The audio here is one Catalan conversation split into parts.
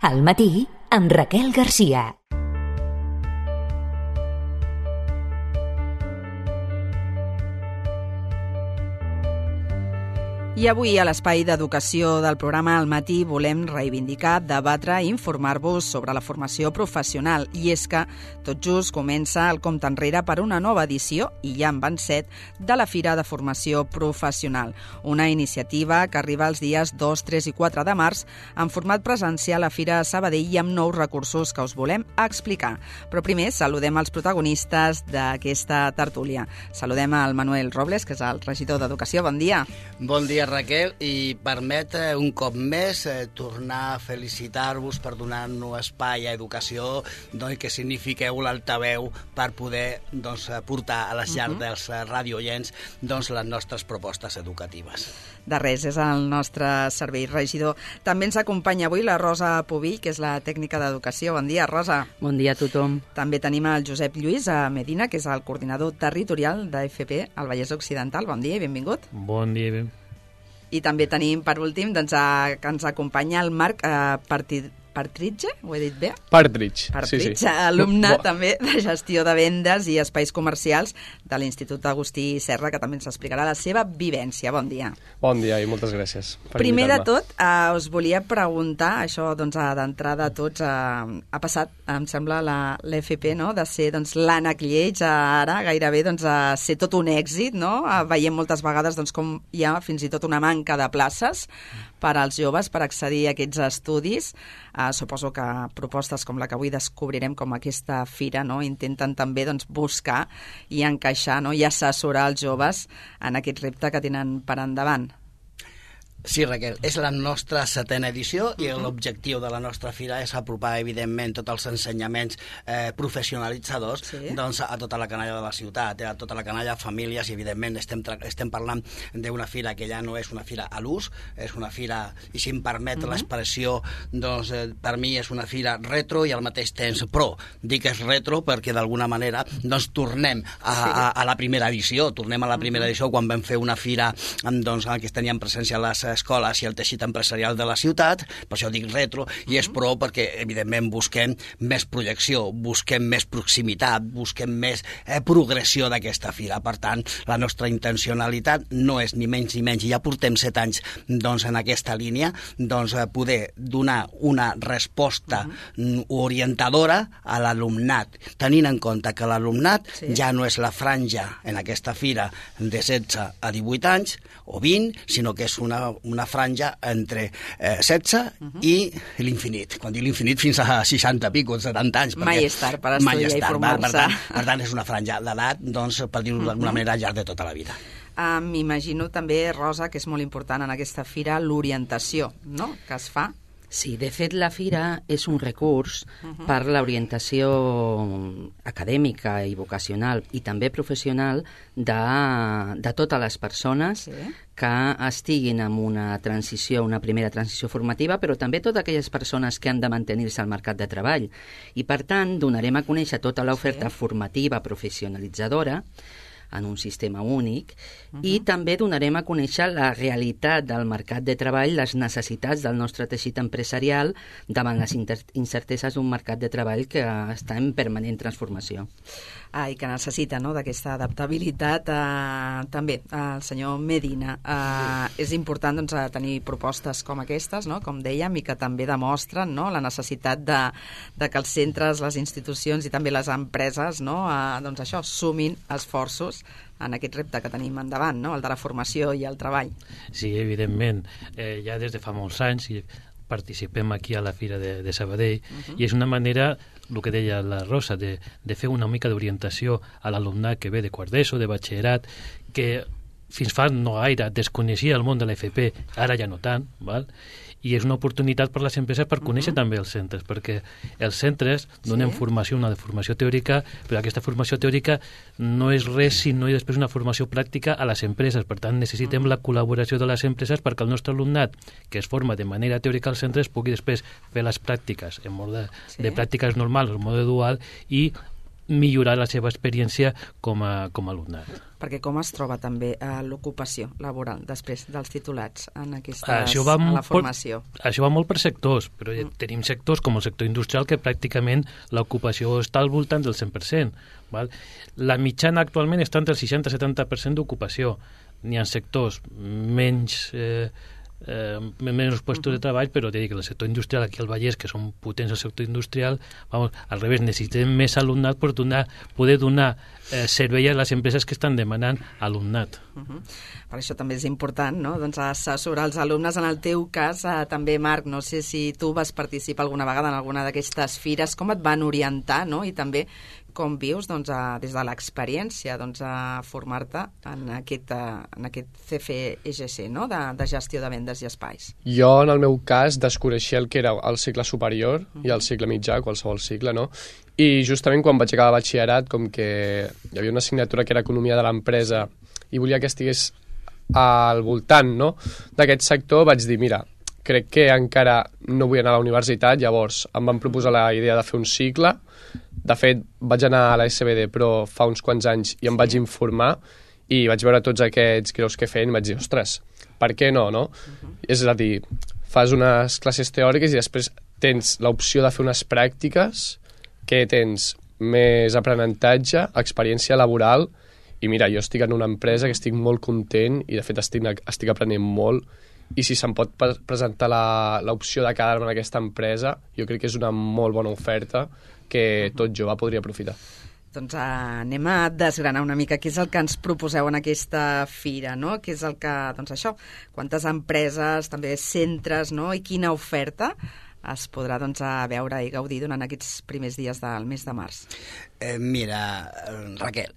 Al matí, amb Raquel Garcia. I avui a l'Espai d'Educació del programa Al matí volem reivindicar, debatre i informar-vos sobre la formació professional. I és que tot just comença el compte enrere per una nova edició, i ja en van 7, de la Fira de Formació Professional. Una iniciativa que arriba els dies 2, 3 i 4 de març en format presencial a Fira Sabadell i amb nous recursos que us volem explicar. Però primer saludem els protagonistes d'aquesta tertúlia. Saludem al Manuel Robles, que és el regidor d'Educació. Bon dia. Bon dia, Raquel, i permet un cop més tornar a felicitar-vos per donar-nos espai a educació, doncs, que signifiqueu l'altaveu per poder portar a les llars dels radiooients les nostres propostes educatives. De res, és el nostre servei, regidor. També ens acompanya avui la Rosa Pubill, que és la tècnica d'educació. Bon dia, Rosa. Bon dia a tothom. També tenim el Josep Lluís Medina, que és el coordinador territorial d'AFP al Vallès Occidental. Bon dia i benvingut. Bon dia i benvingut. I també tenim, per últim, que ens acompanya el Marc Partridge, ho he dit bé? Partridge, sí. Alumne també de gestió de vendes i espais comercials de l'Institut Agustí Serra, que també ens explicarà la seva vivència. Bon dia. Bon dia i moltes gràcies per Primer de invitar-me. tot, us volia preguntar, això d'entrada a tots, ha passat, em sembla, l'FP, no?, de ser l'ànec lleig ara gairebé a ser tot un èxit, no? Veiem moltes vegades com hi ha fins i tot una manca de places per als joves per accedir a aquests estudis. Suposo que propostes com la que avui descobrirem, com aquesta fira, no?, intenten també buscar i encaixar, no?, i assessorar els joves en aquest repte que tenen per endavant. Sí, Raquel, és la nostra 7a edició i l'objectiu de la nostra fira és apropar, evidentment, tots els ensenyaments professionalitzadors a tota la canalla de la ciutat, a tota la canalla de famílies, i evidentment estem parlant d'una fira que ja no és una fira a l'ús, és una fira, i si em permet l'expressió, per mi és una fira retro i al mateix temps pro. Dic que és retro perquè d'alguna manera tornem a la primera edició, quan vam fer una fira en què tenien presència les escoles i el teixit empresarial de la ciutat. Per això dic retro, i és pro perquè evidentment busquem més projecció, busquem més proximitat, busquem més progressió d'aquesta fira. Per tant, la nostra intencionalitat no és ni menys ni menys, i ja portem 7 anys en aquesta línia, poder donar una resposta orientadora a l'alumnat, tenint en compte que l'alumnat ja no és la franja en aquesta fira de 16 a 18 anys o 20, sinó que és una franja entre 16 i l'infinit. Quan dic l'infinit, fins a 60 pico, 70 anys. Mai és tard per estudiar i formar-se. Per tant, és una franja d'edat, per dir-ho d'alguna manera, al llarg de tota la vida. M'imagino també, Rosa, que és molt important en aquesta fira l'orientació, no?, que es fa. Sí, de fet, la fira és un recurs per l'orientació acadèmica i vocacional i també professional de totes les persones que estiguin en una primera transició formativa, però també totes aquelles persones que han de mantenir-se al mercat de treball. I, per tant, donarem a conèixer tota l'oferta formativa professionalitzadora en un sistema únic, i també donarem a conèixer la realitat del mercat de treball, les necessitats del nostre teixit empresarial davant les incerteses d'un mercat de treball que està en permanent transformació. I que necessita, no?, d'aquesta adaptabilitat. També, el senyor Medina, és important tenir propostes com aquestes, no?, com dèiem, i que també demostren, no?, la necessitat de que els centres, les institucions i també les empreses, no?, sumin esforços en aquest repte que tenim endavant, no?, el de la formació i el treball. Sí, evidentment. Ja des de fa molts anys participem aquí a la Fira de Sabadell, i és una manera, el que deia la Rosa, de fer una mica d'orientació a l'alumnat que ve de quart d'ESO, de batxillerat, que fins fa no gaire desconeixia el món de l'FP, ara ja no tant, val? I és una oportunitat per les empreses per conèixer també els centres, perquè els centres donen formació, una formació teòrica, però aquesta formació teòrica no és res si no hi ha després una formació pràctica a les empreses. Per tant, necessitem la col·laboració de les empreses perquè el nostre alumnat, que es forma de manera teòrica als centres, pugui després fer les pràctiques en mode de pràctiques normals, en mode dual, i millorar la seva experiència com a alumnat. Perquè com es troba també l'ocupació laboral després dels titulats en a la formació? Això va molt per sectors, però tenim sectors com el sector industrial que pràcticament l'ocupació està al voltant del 100%. Val? La mitjana actualment està entre el 60-70% d'ocupació. N'hi ha sectors menys puestos de treball, però te dic que el sector industrial aquí al Vallès, que són potents al sector industrial, al revés, necessitem més alumnat per poder donar servei a les empreses que estan demanant alumnat. Per això també és important, no?, doncs assessorar els alumnes. En el teu cas, també, Marc, no sé si tu vas participar alguna vegada en alguna d'aquestes fires, com et van orientar, no?, i també com vius des de l'experiència a formar-te en aquest CFEGC, no?, de gestió de vendes i espais. Jo, en el meu cas, desconeixia el que era el cicle superior i el cicle mitjà, qualsevol cicle, no? I justament quan vaig acabar batxillerat, com que hi havia una assignatura que era Economia de l'Empresa i volia que estigués al voltant, no?, d'aquest sector, vaig dir, mira, crec que encara no vull anar a la universitat, llavors em van proposar la idea de fer un cicle. De fet, vaig anar a la SBD, però fa uns quants anys, i em vaig informar i vaig veure tots aquests graus que feien i vaig dir, ostres, per què no, no? És a dir, fas unes classes teòriques i després tens l'opció de fer unes pràctiques que tens més aprenentatge, experiència laboral, i mira, jo estic en una empresa que estic molt content i de fet estic aprenent molt, i si se'm pot presentar l'opció de quedar-me en aquesta empresa, jo crec que és una molt bona oferta que tot jove podria aprofitar. Doncs anem a desgranar una mica què és el que ens proposeu en aquesta fira, no? Què és el que, doncs això, quantes empreses, també centres, no?, i quina oferta es podrà veure i gaudir durant aquests primers dies del mes de març. Mira, Raquel,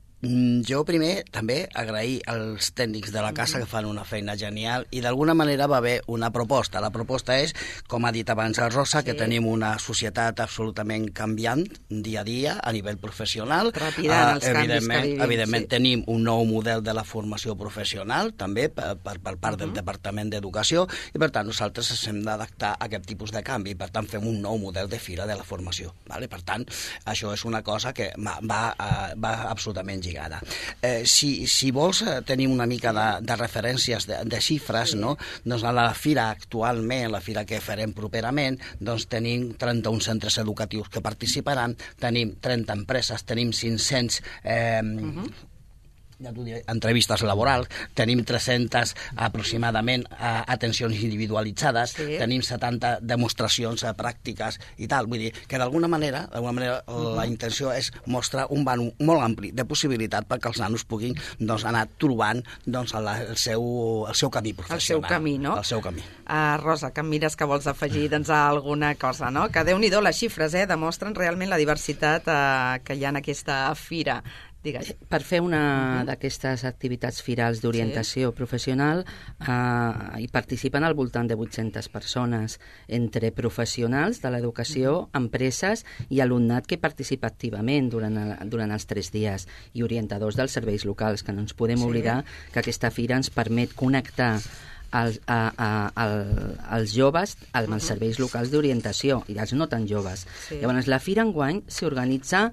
jo primer també agrair als tècnics de la casa que fan una feina genial i d'alguna manera va haver una proposta. La proposta és, com ha dit abans el Rosa, que tenim una societat absolutament canviant dia a dia a nivell professional. Trepidant els canvis que vivim. Evidentment tenim un nou model de la formació professional també per part del Departament d'Educació i per tant nosaltres ens hem d'adaptar a aquest tipus de canvi. Per tant fem un nou model de fira de la formació. Per tant, això és una cosa que va absolutament lligada. Si vols tenir una mica de referències de xifres, no? Doncs a la fira actualment, la fira que farem properament, doncs tenim 31 centres educatius que participaran, tenim 30 empreses, tenim 500 ja t'ho diré, entrevistes laborals, tenim 300 aproximadament atencions individualitzades, tenim 70 demostracions pràctiques i tal. Vull dir que d'alguna manera la intenció és mostrar un vano molt ampli de possibilitat perquè els nanos puguin anar trobant el seu camí professional. El seu camí, no? El seu camí. Rosa, que em mires que vols afegir alguna cosa, no? Que Déu-n'hi-do, les xifres demostren realment la diversitat que hi ha en aquesta fira. Digues. Per fer una d'aquestes activitats firals d'orientació professional hi participen al voltant de 800 persones, entre professionals de l'educació, empreses i alumnat que participa activament durant els 3 dies i orientadors dels serveis locals, que no ens podem oblidar que aquesta fira ens permet connectar els joves amb els serveis locals d'orientació i els no tan joves. Llavors, la fira enguany s'organitza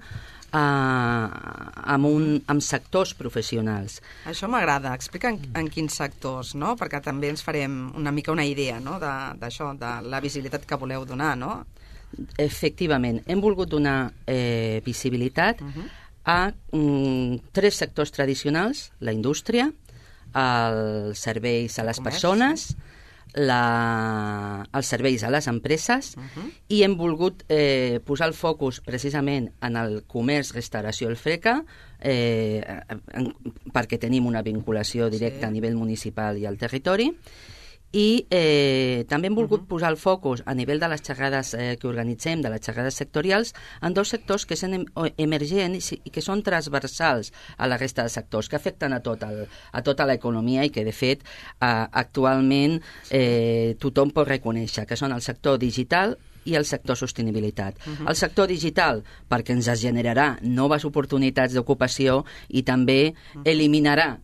amb sectors professionals. Això m'agrada. Explica en quins sectors, no? Perquè també ens farem una mica una idea, no?, d'això, de la visibilitat que voleu donar, no? Efectivament, hem volgut donar visibilitat a 3 sectors tradicionals: la indústria, els serveis a les persones, els serveis a les empreses, i hem volgut posar el focus precisament en el comerç, restauració, el FRECA, perquè tenim una vinculació directa a nivell municipal i al territori, i també hem volgut posar el focus a nivell de les xerrades que organitzem, de les xerrades sectorials, en 2 sectors que són emergents i que són transversals a la resta de sectors, que afecten a tota l'economia i que, de fet, actualment tothom pot reconèixer, que són el sector digital, i el sector sostenibilitat. El sector digital, perquè ens generarà noves oportunitats d'ocupació i també eliminarà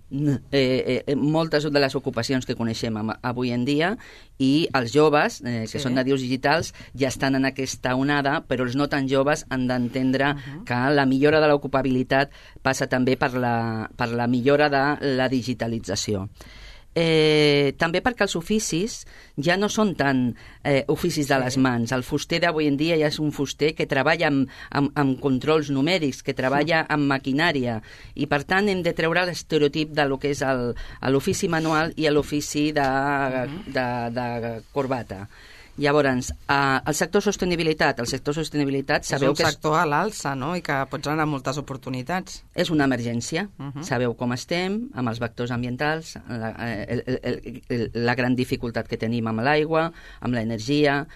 moltes de les ocupacions que coneixem avui en dia, i els joves, que són nadius digitals, ja estan en aquesta onada, però els no tan joves han d'entendre que la millora de l'ocupabilitat passa també per la millora de la digitalització. També perquè els oficis ja no són tan oficis de les mans. El fuster d'avui en dia ja és un fuster que treballa amb controls numèrics, que treballa amb maquinària, i per tant hem de treure l'estereotip de lo que és l'ofici manual i l'ofici de corbata. Llavors, el sector sostenibilitat sabeu que és un sector a l'alça, no? I que pot generar moltes oportunitats. És una emergència. Sabeu com estem amb els vectors ambientals, la gran dificultat que tenim amb l'aigua, amb l'energia,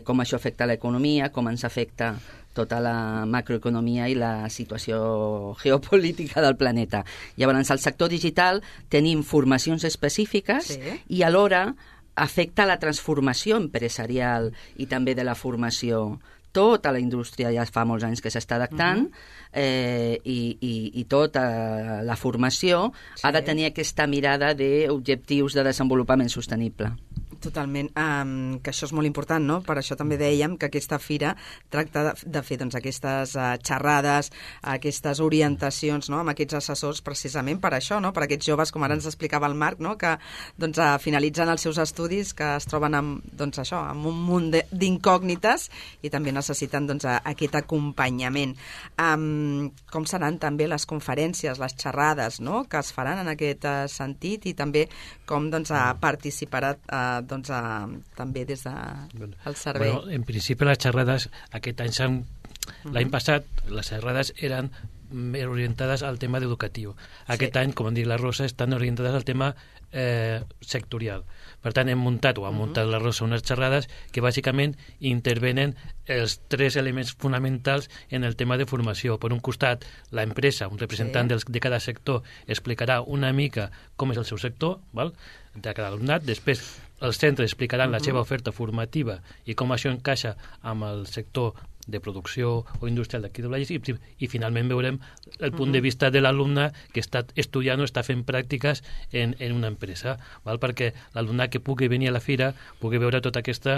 com això afecta l'economia, com ens afecta tota la macroeconomia i la situació geopolítica del planeta. Llavors, al sector digital tenim formacions específiques i alhora afecta la transformació empresarial i també de la formació. Tota la indústria ja fa molts anys que s'està adaptant i tota la formació ha de tenir aquesta mirada d'objectius de desenvolupament sostenible. Totalment, que això és molt important, no? Per això també dèiem que aquesta fira tracta de fer aquestes xerrades, aquestes orientacions, no? Amb aquests assessors, precisament per això, no? Per aquests joves, com ara ens explicava el Marc, no? Que finalitzen els seus estudis, que es troben amb un munt d'incògnites i també necessiten aquest acompanyament. Com seran també les conferències, les xerrades, no? Que es faran en aquest sentit, i també com participarà també des del servei. Bueno, en principi les xerrades aquest any l'any passat les xerrades eren orientades al tema educatiu. Aquest any, com diu la Rosa, estan orientades al tema sectorial. Per tant, ha muntat la Rosa unes xerrades que bàsicament intervenen els tres elements fonamentals en el tema de formació. Per un costat, la empresa, un representant de cada sector, explicarà una mica com és el seu sector, de cada alumnat. Després, els centres explicaran la seva oferta formativa i com això encaixa amb el sector de producció o industrial d'aquí de Valls, i finalment veurem el punt de vista de l'alumne que està estudiant o està fent pràctiques en una empresa, perquè l'alumne que pugui venir a la fira pugui veure tot aquest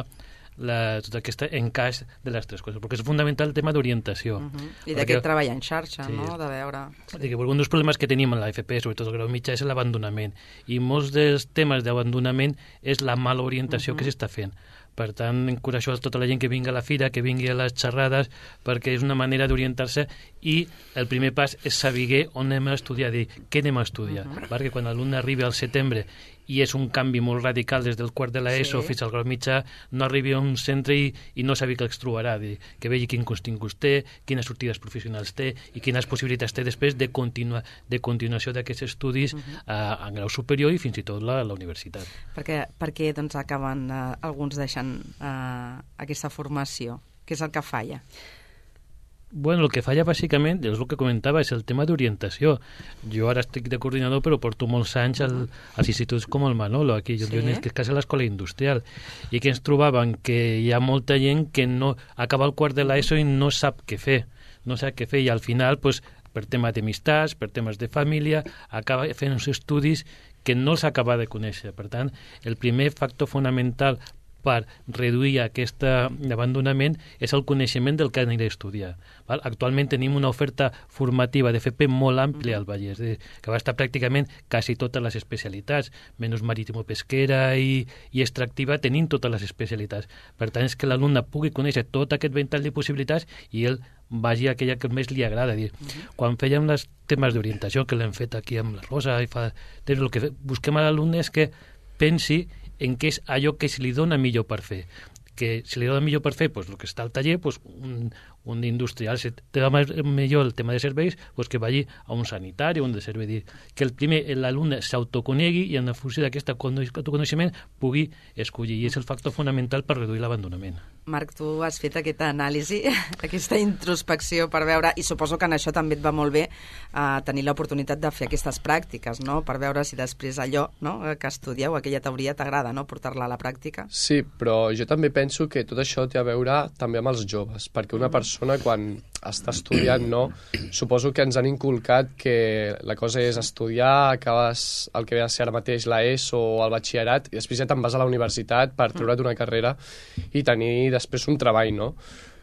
encaix de les tres coses, perquè és fundamental el tema d'orientació. I d'aquest treball en xarxa, no? De veure... Un dels problemes que tenim en la FP, sobretot el grau mitjà, és l'abandonament, i molts dels temes d'abandonament és la mala orientació que s'està fent. Per tant, encoratjo a tota la gent que vingui a la fira, que vingui a les xerrades, perquè és una manera d'orientar-se, i el primer pas és saber on anem a estudiar, dir què anem a estudiar, perquè quan l'alumne arribi al setembre i és un canvi molt radical des del quart de l'ESO fins al grau mitjà, no arribi a un centre i no sabi què es trobarà, que vegi quin continguts té, quines sortides professionals té i quines possibilitats té després de continuació d'aquests estudis en grau superior i fins i tot la universitat. Per què acaben alguns deixant aquesta formació? Què és el que falla? Bueno, el que falla bàsicament, és el que comentava, és el tema d'orientació. Jo ara estic de coordinador, però porto molts anys als instituts com el Manolo, aquí, jo que és quasi a l'escola industrial, i que ens trobàvem que hi ha molta gent que no acaba el quart de l'ESO i no sap què fer, i al final, per temes d'amistats, per temes de família, acaba fent uns estudis que no els acaba de conèixer. Per tant, el primer factor fonamental per reduir aquest abandonament és el coneixement del que aniré a estudiar. Actualment tenim una oferta formativa de FP molt àmplia al Vallès, que va estar pràcticament quasi totes les especialitats, menys marítimo-pesquera i extractiva, tenim totes les especialitats. Per tant, és que l'alumne pugui conèixer tot aquest ventall de possibilitats i ell vagi a aquella que més li agrada. Quan fèiem els temes d'orientació, que l'hem fet aquí amb la Rosa, el que busquem a l'alumne és que pensi en què és allò que se li dona millor per fer. Que si li dona millor per fer el que està al taller, un industrial, si té millor el tema de serveis, que vagi a un sanitari o un de servei. Que l'alumne s'autoconegui i en funció d'aquest autoconeixement pugui escollir, i és el factor fonamental per reduir l'abandonament. Marc, tu has fet aquesta anàlisi, aquesta introspecció per veure, i suposo que en això també et va molt bé tenir l'oportunitat de fer aquestes pràctiques, no? Per veure si després allò que estudieu, aquella teoria, t'agrada, no? Portar-la a la pràctica. Sí, però jo també penso penso que tot això té a veure també amb els joves, perquè una persona quan està estudiant, no, suposo que ens han inculcat que la cosa és estudiar, acabes el que ve a ser ara mateix l'ESO o el batxillerat, i després ja te'n vas a la universitat per treure't una carrera i tenir després un treball, no?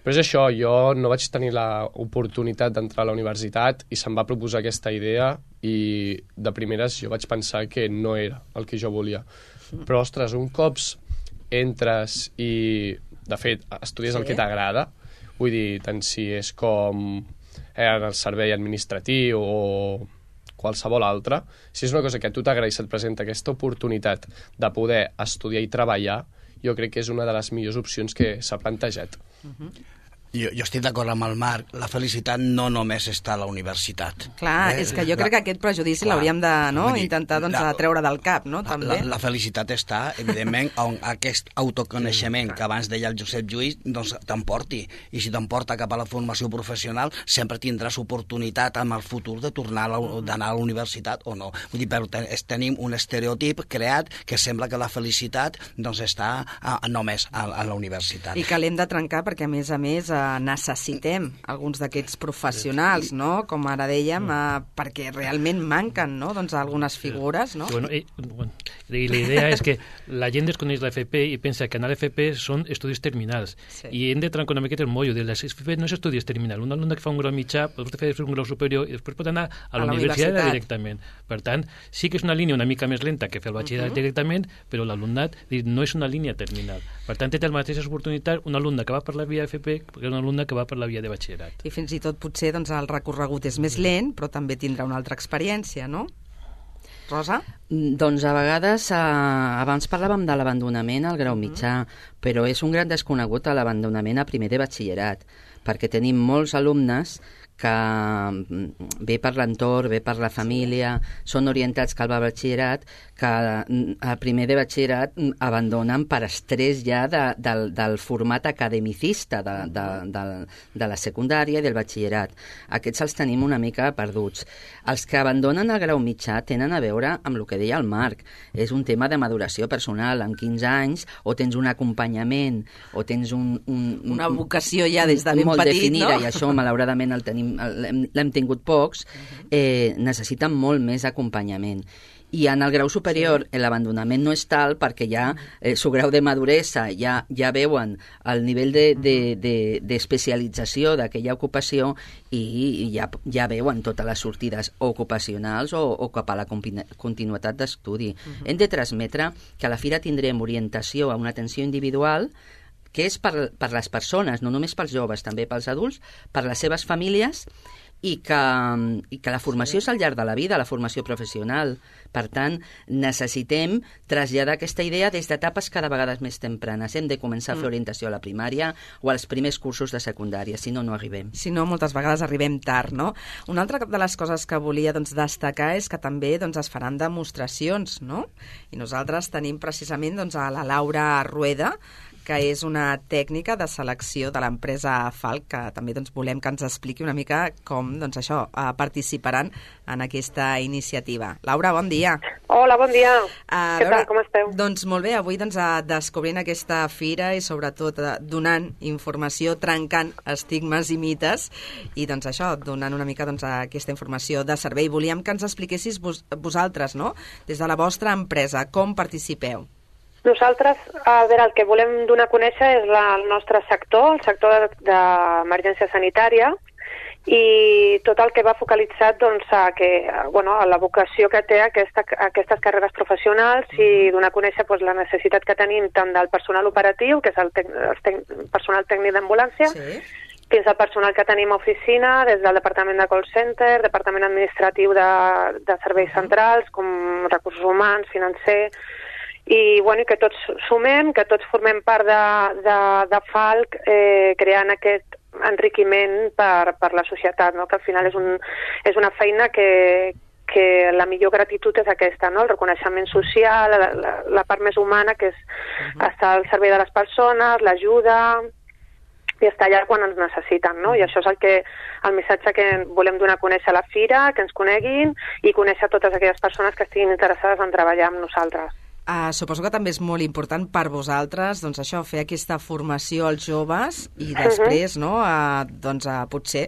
Però és això, jo no vaig tenir l'oportunitat d'entrar a la universitat i se'm va proposar aquesta idea i de primeres jo vaig pensar que no era el que jo volia. Però, ostres, un cop entres i, de fet, estudies el que t'agrada, vull dir, tant si és com en el servei administratiu o qualsevol altre, si és una cosa que a tu t'agrada i se't presenta aquesta oportunitat de poder estudiar i treballar, jo crec que és una de les millors opcions que s'ha plantejat. Jo estic d'acord amb el Marc, la felicitat no només està a la universitat. Clar, és que jo crec que aquest prejudici l'hauríem de intentar treure del cap, no? També. La felicitat està, evidentment, on aquest autoconeixement que abans deia el Josep Lluís t'emporti. I si t'emporta cap a la formació professional, sempre tindràs oportunitat en el futur de tornar d'anar a la universitat o no. Vull dir, però tenim un estereotip creat que sembla que la felicitat està només a la universitat. I que l'hem de trencar perquè, a més, necessitem alguns d'aquests professionals, no? Com ara dèiem, perquè realment manquen, no? Doncs algunes figures, no? Bueno, la idea és que la gent desconeix l'FP i pensa que anar a l'FP són estudis terminals. Sí. I hem de trencar una miqueta el mollo de l'FP no és estudis terminals. Un alumne que fa un grau mitjà pot fer un grau superior i després pot anar a la universitat directament. Per tant, sí que és una línia una mica més lenta que fer el batxillerat directament, però l'alumnat no és una línia terminal. Per tant, té la mateixa oportunitat un alumne que va per la via FP que un alumne que va per la via de batxillerat. I fins i tot potser el recorregut és més lent, però també tindrà una altra experiència, no? Rosa? Doncs a vegades, abans parlàvem de l'abandonament al grau mitjà, però és un gran desconegut l'abandonament a primer de batxillerat, perquè tenim molts alumnes que ve per l'entorn, ve per la família, són orientats cap al batxillerat, que a primer de batxillerat abandonen per estrès ja del format academicista de la secundària i del batxillerat. Aquests els tenim una mica perduts. Els que abandonen el grau mitjà tenen a veure amb el que deia el Marc. És un tema de maduració personal. Amb 15 anys o tens un acompanyament o tens una vocació ja des de ben molt petit, definida, no? I això malauradament l'hem tingut pocs, necessiten molt més acompanyament. I en el grau superior l'abandonament no és tal perquè ja su grau de maduresa ja veuen el nivell d'especialització d'aquella ocupació i ja veuen totes les sortides ocupacionals o cap a la continuïtat d'estudi. Hem de transmetre que a la fira tindrem orientació a una atenció individual que és per les persones, no només pels joves, també pels adults, per les seves famílies, i que la formació és al llarg de la vida, la formació professional. Per tant, necessitem traslladar aquesta idea des d'etapes cada vegada més tempranes. Hem de començar a fer orientació a la primària o als primers cursos de secundària, si no, no arribem. Si no, moltes vegades arribem tard, no? Una altra de les coses que volia destacar és que també es faran demostracions, no? I nosaltres tenim precisament a la Laura Rueda, que és una tècnica de selecció de l'empresa Falc, que també volem que ens expliqui una mica com participaran en aquesta iniciativa. Laura, bon dia. Hola, bon dia. Què tal, com esteu? Doncs molt bé, avui descobrint aquesta fira i sobretot donant informació, trencant estigmes i mites i donant una mica aquesta informació de servei. Volíem que ens expliquessis vosaltres, no? Des de la vostra empresa, com participeu? Nosaltres, el que volem donar a conèixer és el nostre sector, el sector d'emergència sanitària, i tot el que va focalitzat a la vocació que té aquestes carreres professionals i donar a conèixer la necessitat que tenim tant del personal operatiu, que és el personal tècnic d'ambulància, fins al personal que tenim a oficina, des del departament de call center, departament administratiu de serveis centrals, com recursos humans, financer, i que tots sumem, que tots formem part de Falc, creant aquest enriquiment per la societat, no? Que al final és una feina que la millor gratitud és aquesta, no? El reconeixement social, la part més humana, que és estar al servei de les persones, l'ajuda i estar allà quan ens necessiten, no? I això és el missatge que volem donar a conèixer a la fira, que ens coneguin i conèixer totes aquelles persones que estiguin interessades en treballar amb nosaltres. Suposo que també és molt important per vosaltres, doncs això, fer aquesta formació als joves i després, no, potser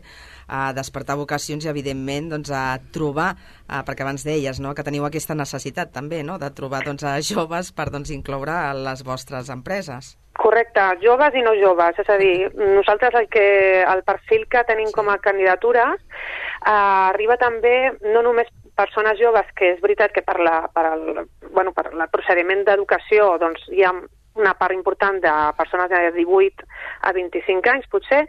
despertar vocacions i, evidentment, a trobar, perquè abans deies, no, que teniu aquesta necessitat també, no, de trobar joves per incloure a les vostres empreses. Correcte, joves i no joves, és a dir, nosaltres el perfil que tenim com a candidatures arriba també no només persones joves, que és veritat que per el procediment d'educació doncs hi ha una part important de persones de 18 a 25 anys, potser,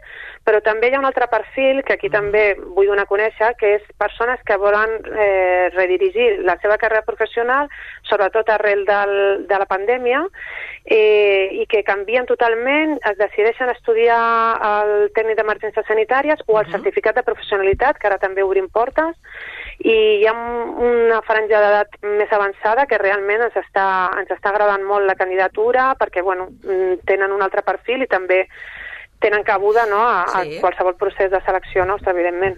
però també hi ha un altre perfil que aquí també vull donar a conèixer, que és persones que volen redirigir la seva carrera professional, sobretot arrel de la pandèmia, i que canvien totalment, es decideixen estudiar el tècnic d'emergències sanitàries o el certificat de professionalitat, que ara també obrim portes, i hi ha una franja d'edat més avançada que realment ens està agradant molt la candidatura perquè tenen un altre perfil i també tenen cabuda a qualsevol procés de selecció nostre, evidentment.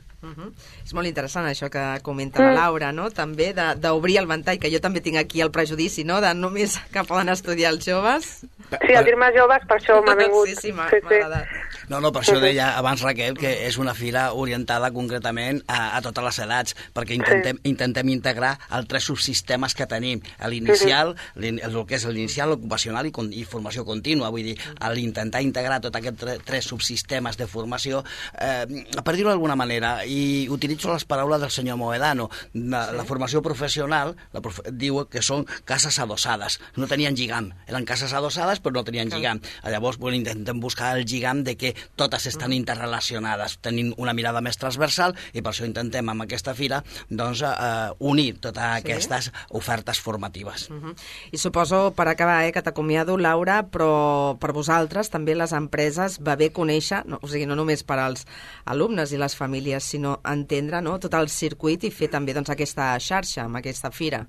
És molt interessant això que comenta la Laura, no? També d'obrir el ventall, que jo també tinc aquí el prejudici, no?, de només que poden estudiar els joves. Sí, al dir-me joves, per això m'ha vingut. Sí, m'ha agradat. No, per això deia abans, Raquel, que és una fira orientada concretament a totes les edats, perquè intentem integrar els 3 subsistemes que tenim, l'inicial, el que és l'inicial, l'ocupacional i formació contínua. Vull dir, l'intentar integrar tots aquests 3 subsistemes de formació, per dir-ho d'alguna manera, i utilitzo les paraules del senyor Moedano, la formació professional diu que són cases adossades, no tenien lligam, eren cases adossades però no tenien lligam. Llavors intentem buscar el lligam de que totes estan interrelacionades, tenint una mirada més transversal, i per això intentem amb aquesta fira unir totes aquestes ofertes formatives. I suposo, per acabar, que t'acomiado, Laura, però per vosaltres també les empreses va bé conèixer, o sigui, no només per als alumnes i les famílies, sinó entendre tot el circuit i fer també aquesta xarxa amb aquesta fira.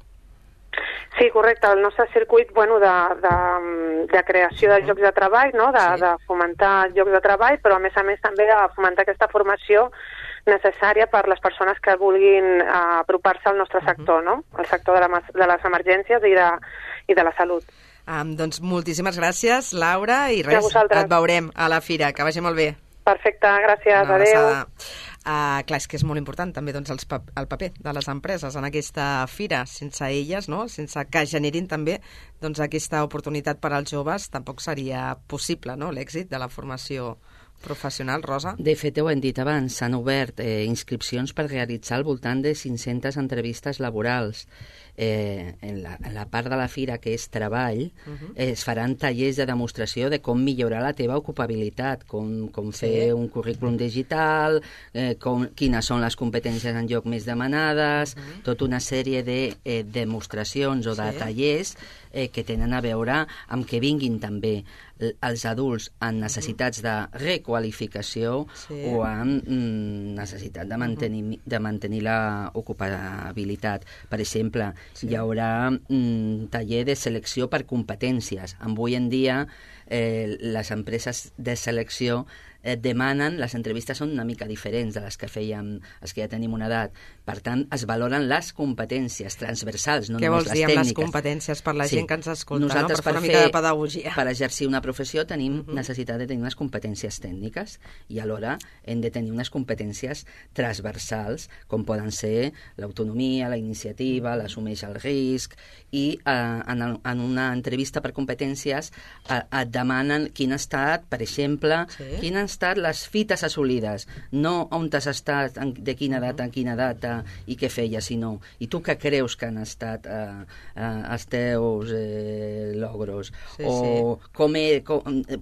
Sí, correcte. El nostre circuit de creació de llocs de treball, de fomentar llocs de treball, però a més també de fomentar aquesta formació necessària per les persones que vulguin apropar-se al nostre sector, el sector de les emergències i de la salut. Doncs moltíssimes gràcies, Laura, i res, et veurem a la fira. Que vagi molt bé. Perfecte, gràcies, adéu. Clar, és que és molt important també el paper de les empreses en aquesta fira. Sense elles, sense que generin també aquesta oportunitat per als joves, tampoc seria possible l'èxit de la formació professional, Rosa? De fet, ho hem dit abans, s'han obert inscripcions per realitzar al voltant de 500 entrevistes laborals. En la part de la fira, que és treball, es faran tallers de demostració de com millorar la teva ocupabilitat, com fer un currículum digital, quines són les competències en lloc més demanades, tota una sèrie de demostracions o de tallers que tenen a veure amb que vinguin també els adults amb necessitats de requalificació o amb necessitat de mantenir l'ocupabilitat. Per exemple, hi haurà un taller de selecció per competències. Avui en dia les empreses de selecció demanen, les entrevistes són una mica diferents de les que fèiem els que ja tenim una edat. Per tant, es valoren les competències transversals, no només les tècniques. Què vols dir amb les competències per la gent que ens escolta, per fer una mica de pedagogia? Per exercir una professió tenim necessitat de tenir unes competències tècniques i alhora hem de tenir unes competències transversals, com poden ser l'autonomia, la iniciativa, l'assumeix el risc, i en una entrevista per competències et demanen quin ha estat, per exemple, quin han estat les fites assolides, no on has estat, de quina data en quina data i què feies, sinó i tu què creus que han estat els teus logros,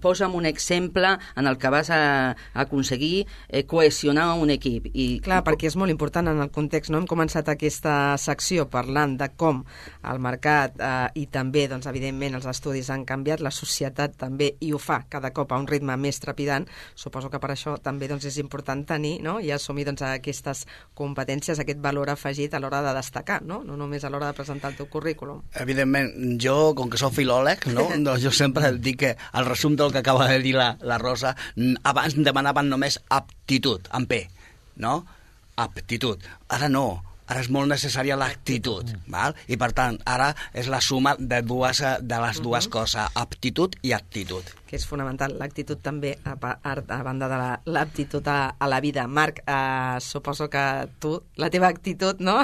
posa'm un exemple en el que vas aconseguir cohesionar un equip. Clar, perquè és molt important en el context, no? Hem començat aquesta secció parlant de com el mercat i també, doncs, evidentment, els estudis han canviat, la societat també, i ho fa cada cop a un ritme més trepidant. Suposo que per això també és important tenir i assumir aquestes competències, aquest valor afegit a l'hora de destacar, no només a l'hora de presentar el teu currículum. Evidentment, jo, com que soc filòleg, doncs jo sempre dic que el resum del que acaba de dir la Rosa, abans demanaven només aptitud, amb P, no? Aptitud. Ara no. ara és molt necessària l'actitud, val? I per tant, ara és la suma de les dues coses, aptitud i actitud. Que és fonamental, l'actitud també, a banda de l'aptitud a la vida. Marc, suposo que tu, la teva actitud, no?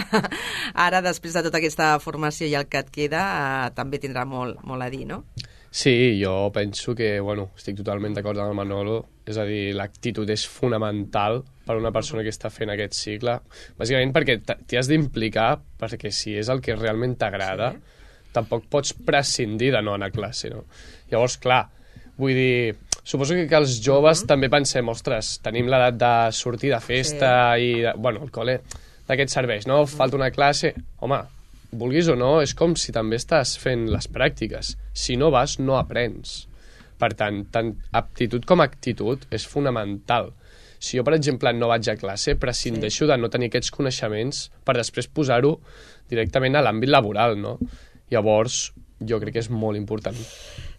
Ara, després de tota aquesta formació i el que et queda, també tindrà molt a dir, no? Sí, jo penso que, estic totalment d'acord amb el Manolo, és a dir, l'actitud és fonamental per a una persona que està fent aquest cicle, bàsicament perquè t'hi has d'implicar, perquè si és el que realment t'agrada, tampoc pots prescindir de no anar a classe, no? Llavors, clar, vull dir, suposo que els joves també pensem, ostres, tenim l'edat de sortir de festa i, el col·le d'aquests serveis, no? Falta una classe, home, vulguis o no, és com si també estàs fent les pràctiques. Si no vas, no aprens. Per tant aptitud com actitud és fonamental. Si jo, per exemple, no vaig a classe, prescindeixo de no tenir aquests coneixements per després posar-ho directament a l'àmbit laboral, no? Llavors, jo crec que és molt important.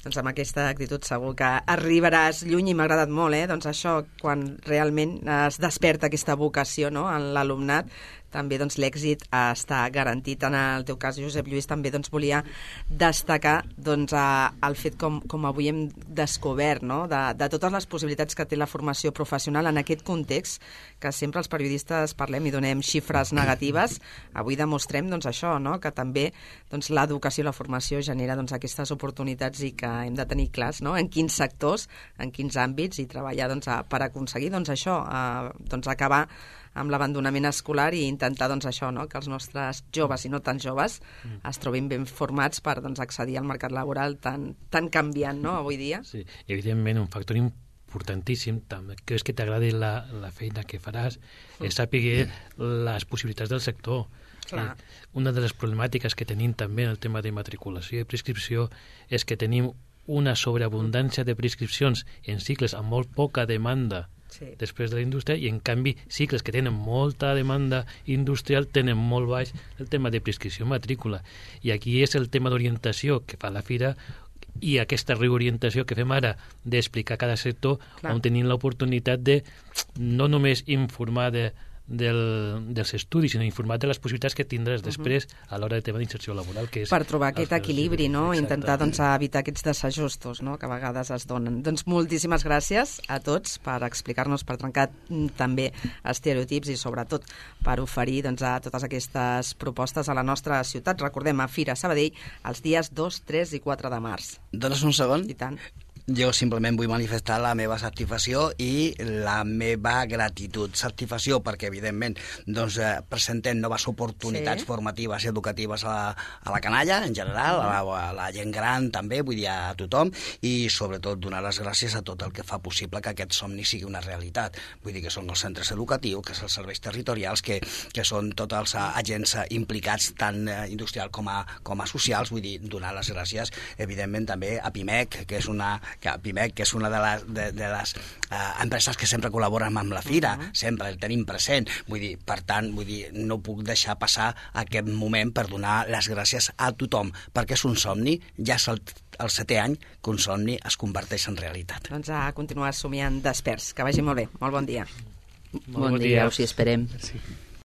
Doncs amb aquesta actitud segur que arribaràs lluny i m'ha agradat molt, doncs això, quan realment es desperta aquesta vocació, no?, en l'alumnat, també doncs, l'èxit està garantit. En el teu cas, Josep Lluís, també doncs, volia destacar doncs, el fet com avui hem descobert, no?, de totes les possibilitats que té la formació professional en aquest context, que sempre els periodistes parlem i donem xifres negatives. Avui demostrem doncs, això, no?, que també doncs, l'educació i la formació genera doncs, aquestes oportunitats i que hem de tenir clars, no?, en quins sectors, en quins àmbits, i treballar doncs, per aconseguir doncs, això, doncs, acabar amb l'abandonament escolar i intentar doncs, això, no?, que els nostres joves i no tan joves es trobin ben formats per doncs, accedir al mercat laboral tan canviant, no?, avui dia. Sí, evidentment, un factor importantíssim, també, que és que t'agradi la feina que faràs, és saber les possibilitats del sector. Una de les problemàtiques que tenim també en el tema de matriculació i prescripció és que tenim una sobreabundància de prescripcions en cicles amb molt poca demanda després de la indústria, i en canvi cicles que tenen molta demanda industrial tenen molt baix el tema de prescripció i matrícula. I aquí és el tema d'orientació que fa la Fira i aquesta reorientació que fem ara d'explicar cada sector on tenim l'oportunitat de no només informar dels estudis, sinó informar de les possibilitats que tindràs després a l'hora de tema d'inserció laboral, que és... Per trobar aquest equilibri, no? Intentar doncs, evitar aquests desajustos, no?, que a vegades es donen. Doncs moltíssimes gràcies a tots per explicar-nos, per trencar també estereotips i sobretot per oferir doncs, a totes aquestes propostes a la nostra ciutat. Recordem, a Fira Sabadell, els dies 2, 3 i 4 de març. Dones un segon? I tant. Jo simplement vull manifestar la meva satisfacció i la meva gratitud. Satisfacció perquè, evidentment, doncs, presentem noves oportunitats formatives i educatives a la canalla, en general, a la gent gran també, vull dir, a tothom, i sobretot donar les gràcies a tot el que fa possible que aquest somni sigui una realitat. Vull dir que són els centres educatius, que són els serveis territorials, que són tots els agents implicats, tant industrial com a socials. Vull dir, donar les gràcies, evidentment, també a PIMEC, que és una de les empreses que sempre col·laboren amb la Fira, sempre el tenim present. Vull dir, per tant, no puc deixar passar aquest moment per donar les gràcies a tothom, perquè és un somni, ja és el 7è any que un somni es converteix en realitat. Doncs a continuar somiant desperts. Que vagi molt bé. Molt bon dia. Bon dia, us hi esperem. Sí.